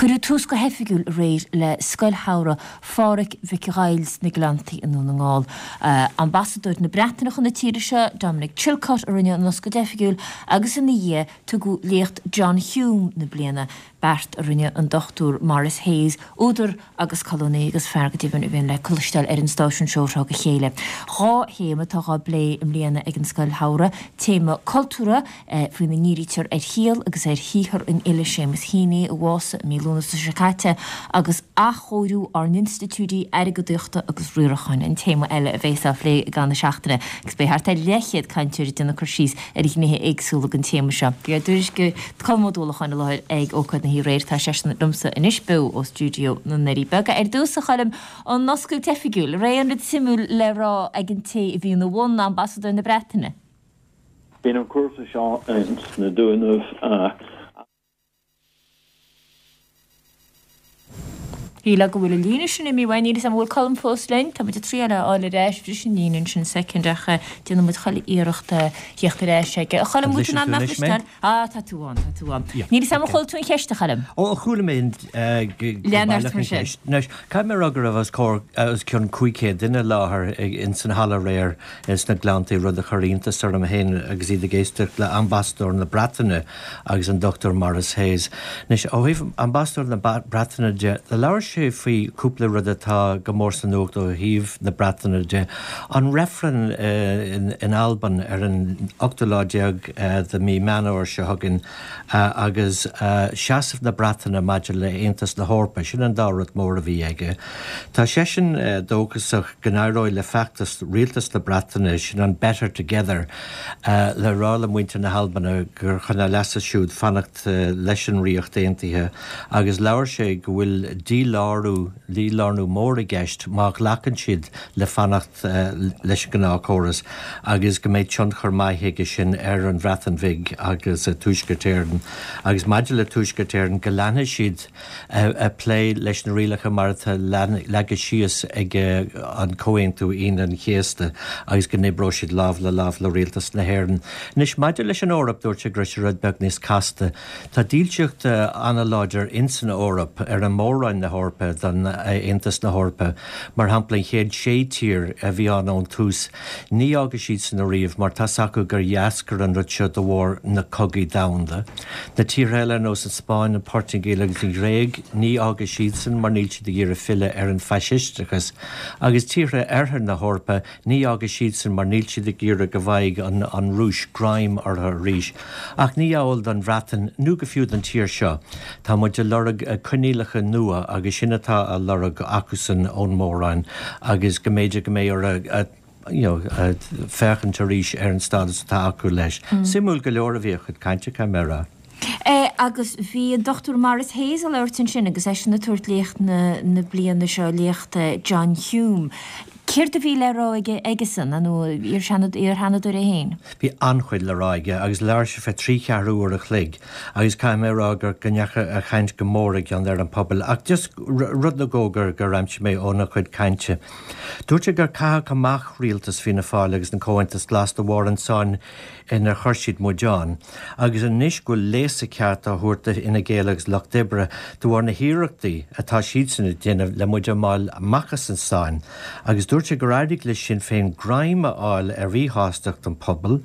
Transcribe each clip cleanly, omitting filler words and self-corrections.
Cuireadh tús go hoifigiúil aréir le Scoil Shamhraidh Phádhraic Mhic Dhaill sna Gleanntaí i nDún na nGall. Ambasadóir na Breataine chun na tíre seo, Dominic Chilcott, a rinne an oscailt oifigiúil agus ina dhiaidh tugadh léacht John Hume na bliana, beart a rinne an Dr Maurice Hayes, údar agus colúnaí agus fear go deimhin a bhíonn le cloisteáil ar an stáisiún seo ó thráth go chéile. 2 théama atá dhá bplé i mbliana ag an Scoil Shamhraidh, téama cultúrtha, faoina ndírítear ar shaol agus ar shaothar an fhile Séamus Heaney, a bhásaigh i mí Lúnasa seo caite, agus athchóiriú ár n-institiúidí airgeadaíochta agus riaracháin, an téama eile a bheas á phlé i gcaitheamh na seachtaine, agus beidh thart ar leathchéad cainteoir ag déanamh cur síos ar ghnéithe éagsúla den téama seo. Bhí ár dtuairisceoir Colm Ó Dúlacháin i láthair ag ócáid na hoíche aréir. Tá seisean liomsa anois beo ó stiúideo na nDoirí Beaga. Ar dtús, a Choilm, an oscailt oifigiúil, an raibh aon rud suimiúil le rá ag an té a bhí ina bhun, Ambasadóir na Breataine? Bíonn an cúrsa seo ins na Dúnaibh. Shílfeá go bhfuil an líne sin imithe uainn. Níl 'fhios a'm an bhfuil Colm fós linn. Tá muid ag triail é a fháil ar ais. Bhris an líne ansin soicind ach déanfaidh muid chuile iarracht theacht ar ais aige. A Choilm, an bhfuil tú in ann mé a chloisteáil? Ah, tá tú ann, tá tú ann. Níl 'fhios a'm ar chuala tú an cheist, a Choilm? Ó, chuala mé go Lean ort baileach mar an sin. cheist. Anois, caithfidh mé a rá go raibh os comhair, os cionn 500 duine i láthair ins an halla aréir sna Gleanntaí, rud a chuir iontas orm féin agus iad ag éisteacht le Ambasadóir na Breataine agus an Dr Maurice Hayes. Anois, ó thaobh Ambasadóir na Breataine de, do labhair sé faoi chúpla rud atá go mór sa nuacht ó thaobh na Breataine de, an reifreann in Albain ar an ochtú lá déag de mhí Meán Fhómhair seo chugainn agus seasamh na Breataine maidir le Aontas na hEorpa, sin an dá rud mór a bhí aige. Tá seisean dóchasach go n-éireoidh le feachtas Rialtas na Breataine, sin an 'Better Together', le rá le muintir na hAlban gur chun a leasa siúd fanacht leis an Ríocht Aontaithe agus labhair sé go bhfuil dílárú, dílárnú mór i gceist má ghlacann siad le fanacht leis an ngnáthchóras agus go mbeidh tionchar maith aige sin ar an Bhreatain Bhig agus Tuaisceart Éireann agus maidir le Tuaisceart Éireann go leanfaidh siad ag plé leis na rialacha mar atá leagtha síos ag an Comhaontú Aoine an Chéasta agus go n-oibreoidh siad lámh le lámh le Rialtas na hÉireann. Anois, maidir leis an Eoraip, dúirt sé go raibh sé rud beag níos casta. Tá dílseacht an-láidir ins an Eoraip ar an Mór-Roinn na hEorpa don Aontas na hEorpa. Mar shampla, an chéad sé tír a bhí ann ón tús, ní fhágfaidh siadsan ariamh mar tá's acu gur dh'eascair an rud seo de bharr na cogaí domhanda. Na tíortha eile ar nós an Spáinn, an Portaingéil agus an Ghréig, ní fhágfaidh siadsan mar níl siad ag iarraidh filleadh ar an bhfaisisteachas. Agus tíortha Oirthear na hEorpa, ní fhágfaidh siadsan mar níl siad ag iarraidh go bhfaigheadh an Rúis greim orthu arís. Ach ní amhail don Bhreatain nó go fiú don tír seo. Tá muid ag lorg coinníollacha nua agus sin atá á lorg acusan ón Mór-Roinn agus go mb'fhéidir go mbeidh orthu you know, féachaint arís ar an stádas atá acu leis. Suimiúil go leor a bhí a chuid cainte, caithfidh mé a rá. Agus bhí an Dr Maurice Hayes ag labhairt ansin agus eisean ag tabhairt léacht na na bliana seo, léacht John Hume. Céard a bhí le rá aige aigesan, nó iar-sheanadóir é féin? Bhí an-chuid le rá aige agus labhair sé fé thrí cheathrú uair a chloig agus caithfidh mé a rá gur go ndeachaigh a chaint go mór i gcion ar an pobal ach just rud nó dhó gur gur aimsigh mé óna chuid cainte. Dúirt sé gur caitheadh amach rialtas Fianna Fáil agus an Comhaontas Glas de bharr an tsáinn inar chuir siad muid ann, agus anois go bhfuil léasadh ceart á thabhairt do Fhine Gael agus Lucht Oibre de bharr na hiarrachtaí atá siadsan ag déanamh le muid a fháil amach as an sáinn. Agus dúirt sé gur éirigh le Sinn Féin greim a fháil ar mhíshástacht an phobail,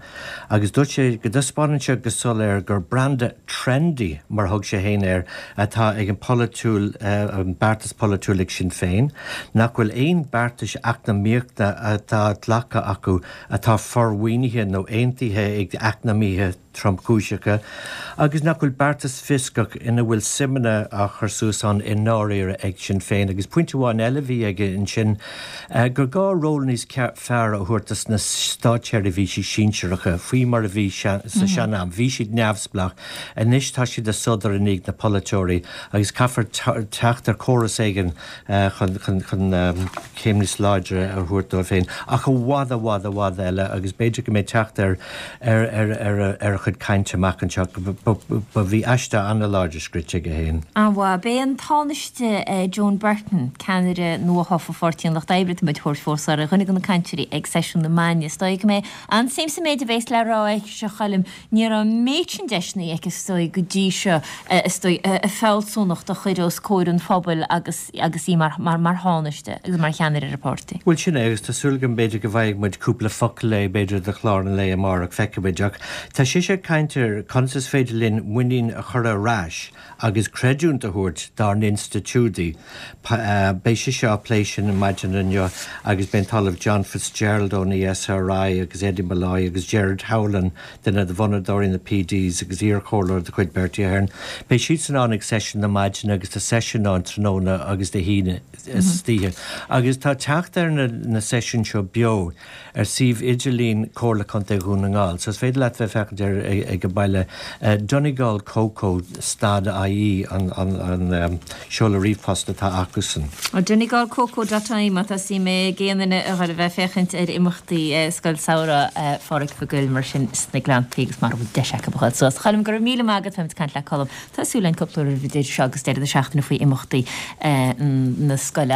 Agus dúirt sé go dtaispeánann sé go soiléir gur branda trendy, mar a thug sé féin air, atá ag an polaitiúil, an beartas polaitiúil ag Sinn Féin, nach bhfuil aon beartais eacnamaíochta atá glactha acu atá formhuinithe nó aontaithe ag eacnamaithe tromchúiseacha, agus nach bhfuil beartas fioscach ina bhfuil suimeanna á chur suas ann i ndáiríre ag Sinn Féin. Agus pointe amháin eile a bhí aige ansin, gur gá ról níos fearr a thabhairt dos na státseirbhísí sinsearacha, faoi mar a bhí sa sean-am. Bhí siad neamhspleách, anois tá siad ag sodar i ndiaidh na polaiteoirí agus caithfear teacht ar chóras éigin chun céim níos láidre a thabhairt dóibh féin. Ach i bhfad, i bhfad, i bhfad eile agus b'fhéidir go mbeidh teacht ar ar a chuid cainte amach anseo. Bhí aiste an-láidir scríte aige féin. An-mhaith. B'é an Tánaiste Joan Burton, ceannaire nuathofa Pháirtí an Lucht Oibre, atá muid a thabhairt. labhairt fós ar dhuine de na cainteoirí ag seisiún na maidine. Is dóigh go mbeidh an-suim sa méid a bhéas le rá aici, a Choilm. Ní raibh an méid sin deiseanna aici is dóigh go dtí seo is dóigh a fealsúnacht a chur os comhair an phobail agus agus í mar mar mar thánaiste agus mar cheannaire ar an pháirtí. Bhuel sin é agus tá súil agam b'fhéidir go bhfaighidh muid cúpla focal léi b'fhéidir do chlár an lae amárach, feicfimid. Ach tá sise ag caint ar conas is féidir linn muinín a chur ar ais agus creidiúint a thabhairt dár n-institiúidí. Beidh sise á plé sin maidin inniu agus beidh an tOllamh John Fitzgerald ón ESRI agus Eddie Molloy agus Gerard Howlin, duine de bhunadóirí na PDs agus iarchomhairleoir de chuid Bertie Ahern. Beidh siadsan ann ag seisiún na maidine agus tá seisiún ann tráthnóna agus Dé hAoine istoíche. Agus tá teacht ar na seisiúin seo beo. ar suíomh idirlín Comhairle Contae Dhún na nGall, so is féidir leat bheith ag féachaint air ag an baile. Donegalcoco stad ie an seoladh ríomhphost atá acusan. Donegalcoco dot ie má tá suim ag aon duine a dhul a bheith ag féachaint ar imeachtaí Scoil Samhraidh Phádraig Mhic Goill mar sin sna Gleanntaí agus mara bhfuil deis acu a dhul suas. Choilm, go raibh míle maith agat, beimid ag caint le Colm. Tá súil againn cúpla uair idir seo agus deireadh na seachtaine faoi imeachtaí na scoile.